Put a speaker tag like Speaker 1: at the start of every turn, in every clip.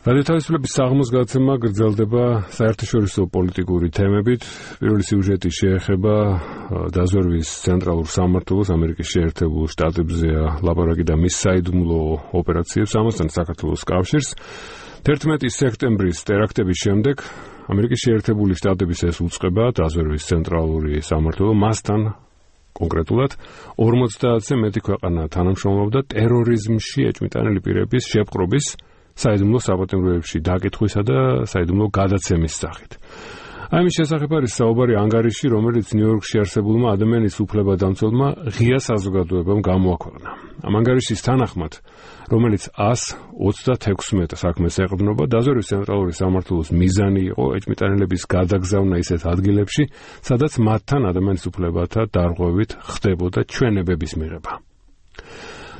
Speaker 1: რადიოთავისუფლების საღამოს გადაცემა გრძელდება საერთაშორისო პოლიტიკური თემებით. პირველი სიუჟეტი შეეხება დაზვერვის ცენტრალურ სამმართველოს ამერიკის შეერთებულ შტატებზეა ლაპარაკი და მის საიდუმლო ოპერაციებს, ამასთან საქართველოს კავშირს. 11 სექტემბრის ტერაქტების შემდეგ ამერიკის შეერთებული შტატების ეს უწყება დაზვერვის ცენტრალური სამმართველო მასთან კონკრეტულად 50-ზე მეტი ქვეყანა თანამშრომლობდა ტერორიზმში ეჭვმიტანილი პირების შეპყრობის, საიდუმლო საპატიმროებში დაკითხვისა და საიდუმლო გადაცემის სახით. ამის შესახებ არის საუბარი ანგარიში, რომელიც ნიუ-იორკში არსებულმა ადამიანის უფლებადამცველმა ღია საზოგადოებამ გამოაქვეყნა. ამ ანგარიშის თანახმად, რომელიც 126 საქმეს ეყრდნობა, დაზვერვის ცენტრალური სამმართველოს მიზანი იყო ეჭვმიტანილების გადაგზავნა ისეთ ადგილებში, სადაც მათთან ადამიანის უფლებათა დარღვევით ხდებოდა ჩვენებების მიღება.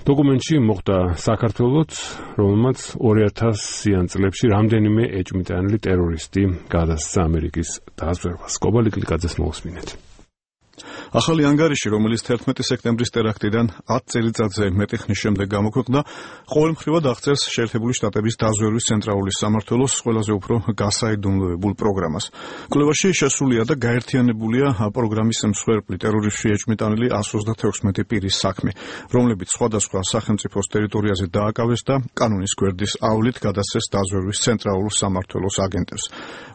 Speaker 1: დოკუმენტში მოხდა საქართველოც, რომელმაც 2000-იან წლებში რამდენიმე ეჭვმიტანილი ტერორისტი გადასცა ამერიკის დაზვერვას. კობალი კლიკაძეს მოусმინეთ.
Speaker 2: ახალი ანგარიში, რომელიც 11 სექტემბრის ტერაქტიდან 10 წელიწადზე მეტი ხნის შემდეგ გამოქვეყნდა, ყოველმხრივად აღწერს შეერთებული შტატების დაზვერვის ცენტრალური სამმართველოს ყველაზე უფრო გასაიდუმლოებულ პროგრამას. კვლევაში შესულია და გაერთიანებულია პროგრამის მსხვერპლი ტერორიზმში ეჭვმიტანილი 136 პირის საქმე, რომლებიც სხვადასხვა სახელმწიფოს ტერიტორიაზე დააკავეს და კანონის გვერდის ავლით გადასცეს დაზვერვის ცენტრალურ სამმართველოს აგენტებს.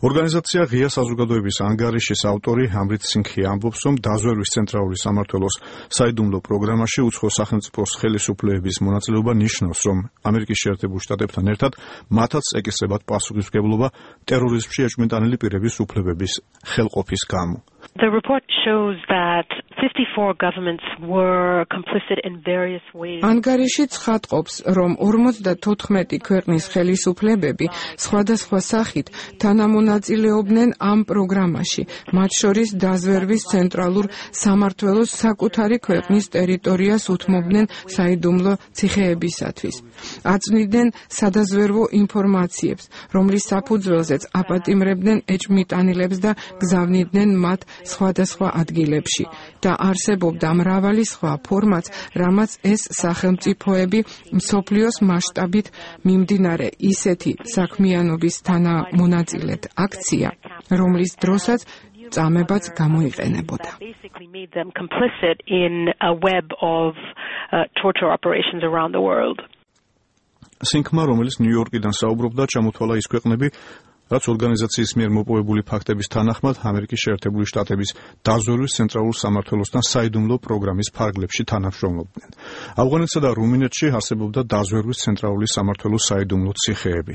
Speaker 2: ორგანიზაცია ღია საზოგადოების ანგარიშის ავტორი ამრით სინგჰი ამბობს, რომ დაზვერვის ცენტრალური სამმართველოს საიდუმლო პროგრამაში უცხო სახელმწიფოს ხელისუფლებების მონაწილეობა ნიშნავს, რომ ამერიკის შეერთებულ შტატებთან ერთად მათაც ეკისრებათ პასუხისმგებლობა ტერორიზმში ეჭვმიტანილი პირების უფლებების ხელყოფის გამო.
Speaker 3: The report shows that 54 governments were complicit in various ways.
Speaker 4: ანგარიში ცხადყოფს, რომ 54 ქვეყნის ხელისუფლებები სხვადასხვა სახით თანამონაწილეობდნენ ამ პროგრამაში, მათ შორის დაზვერვის ცენტრალურ სამმართველოს საკუთარი ქვეყნის ტერიტორიას უთმობდნენ საიდუმლო ციხეებისათვის. აწვდიდნენ სადაზვერვო ინფორმაციებს, რომლის საფუძველზეც აპატიმრებდნენ ეჭვმიტანილებს და გზავნიდნენ მათ სხვადასხვა ადგილებში და არსებობდა მრავალი სხვა ფორმაც, რამაც ეს სახელმწიფოები მსოფლიოს მასშტაბით მიმდინარე ისეთი საქმიანობის თანამონაწილედ აქცია, რომლის დროსაც წამებაც გამოიყენებოდა.
Speaker 2: სინგჰმა, რომელიც ნიუ-იორკიდან საუბრობდა, ჩამოთვალა ის ქვეყნები, რაც ორგანიზაციის მიერ მოპოვებული ფაქტების თანახმად ამერიკის შეერთებული შტატების დაზვერვის ცენტრალურ სამმართველოსთან საიდუმლო პროგრამის ფარგლებში თანამშრომლობდნენ. ავღანეთსა და რუმინეთში არსებობდა დაზვერვის ცენტრალური სამმართველოს საიდუმლო ციხეები.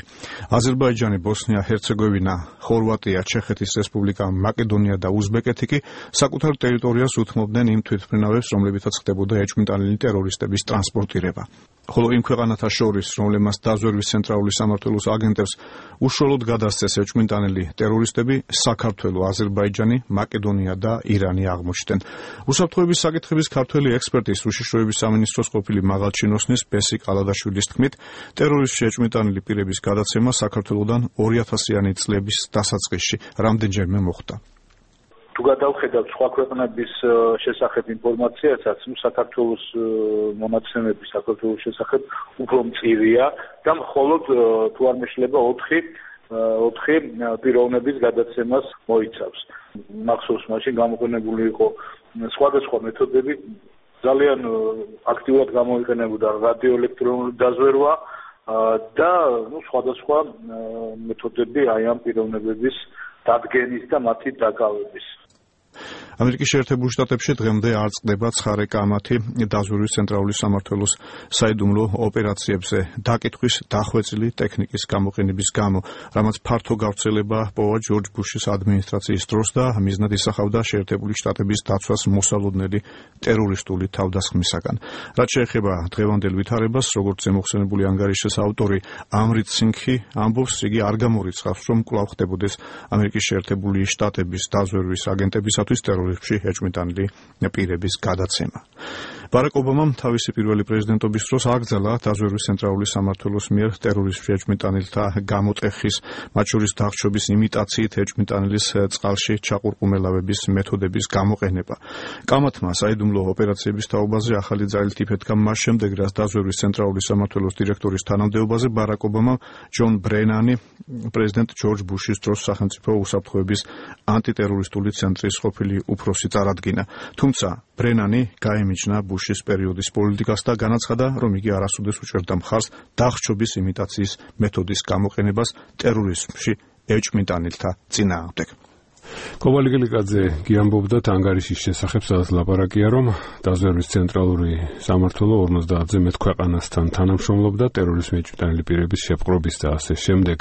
Speaker 2: აზერბაიჯანი, ბოსნია, ჰერცეგოვინა, ხორვატია, ჩეხეთის რესპუბლიკა, მაკედონია და უზბეკეთი კი საკუთარ ტერიტორიას უთმობდნენ იმ თვითმფრინავებს, რომლებითაც ხდებოდა ეჭვმიტანილი ტერორისტების ტრანსპორტირება. ხოლო იმ ქვეყანათა შორის, რომლებმაც დაზვერვის ცენტრალური სამმართველოს აგენტებს უშუალოდ გადასცეს ეჭვმიტანილი ტერორისტები, საქართველო, აზერბაიჯანი, მაკედონია და ირანი აღმოჩნდნენ. უსაფრთხოების საკითხების ქართველი ექსპერტის უშიშროების სამინისტროს ყოფილი მაღალჩინოსნის ბესი ყალადაშვილის თქმით, ტერორიზმში ეჭვმიტანილი პირების გადაცემა საქართველოდან 2000-იანი წლების დასაწყისში რამდენჯერმე მოხდა.
Speaker 5: თუ გადავხედავთ სხვა ქვეყნების შესახებ ინფორმაციასაც, საქართველოს მონაცემები საქართველოს შესახებ უფრო მწირია და მხოლოდ თუ არ მეშლება 4 პიროვნების გადაცემას მოიცავს. მახსოვს მაშინ გამოყენებული იყო სხვადასხვა მეთოდები, ძალიან აქტიურად გამოიყენებოდა რადიოელექტრონული დაზვერვა და სხვადასხვა მეთოდები აი ამ პიროვნებების დადგენის და მათი დაკავების.
Speaker 2: ამერიკის შეერთებულ შტატებში დღემდე არ წყდება ცხარე კამათი დაზვერვის ცენტრალური სამმართველოს საიდუმლო ოპერაციებზე დაკითხვის დახვეწილი ტექნიკის გამოყენების გამო, რამაც ფართო გავრცელება პოვა ჯორჯ ბუშის ადმინისტრაციის დროს და მიზნად ისახავდა შეერთებული შტატების დაცვას მოსალოდნელი ტერორისტული თავდასხმისაგან. რაც შეეხება დღევანდელ ვითარებას, როგორც ზემოხსენებული ანგარიშის ავტორი ამრით სინგჰი ამბობს, იგი არ გამორიცხავს, რომ კვლავ ხდებოდეს ამერიკის შეერთებული შტატების დაზვერვის აგენტების მოძრაობისათვის ტერორიზმში ეჭვმიტანილი პირების გადაცემა. ბარაკ ობამამ თავისი პირველი პრეზიდენტობის დროს აკრძალა დაზვერვის ცენტრალური სამმართველოს მიერ ტერორიზმში ეჭვმიტანილთა გამოტეხის, მათ შორის დახშობის იმიტაციით ეჭვმიტანილის წყალში ჩაყურყუმელავების მეთოდების გამოყენება. კამათმა საიდუმლო ოპერაციების თაობაზე ახალი ძალით იფეთქა მას შემდეგ, რაც დაზვერვის ცენტრალური სამმართველოს დირექტორის თანამდებობაზე ბარაკ ობამამ ჯონ ბრენანი პრეზიდენტ ჯორჯ ბუშის დროს სახელმწიფო უსაფრთხოების ანტიტერორისტული ცენტრის ყოფილი უფროსი წარადგინა. თუმცა ბრენანი გაემიჯნა ბუშის პერიოდის პოლიტიკას და განაცხადა, რომ იგი არასოდეს უჭერდა მხარს დახშობის იმიტაციის მეთოდის გამოყენებას ტერორიზმში ეჭვმიტანილთა წინააღმდეგ.
Speaker 1: კობალი გელიკაძე გიამბობდა ანგარიშის შესახებ, სადაც ლაპარაკია, რომ დაზვერვის ცენტრალური სამმართველო 50-ზე მეტ ქვეყანასთან თანამშრომლობდა ტერორიზმში ეჭვმიტანილი პირების შეპყრობის და ასე შემდეგ.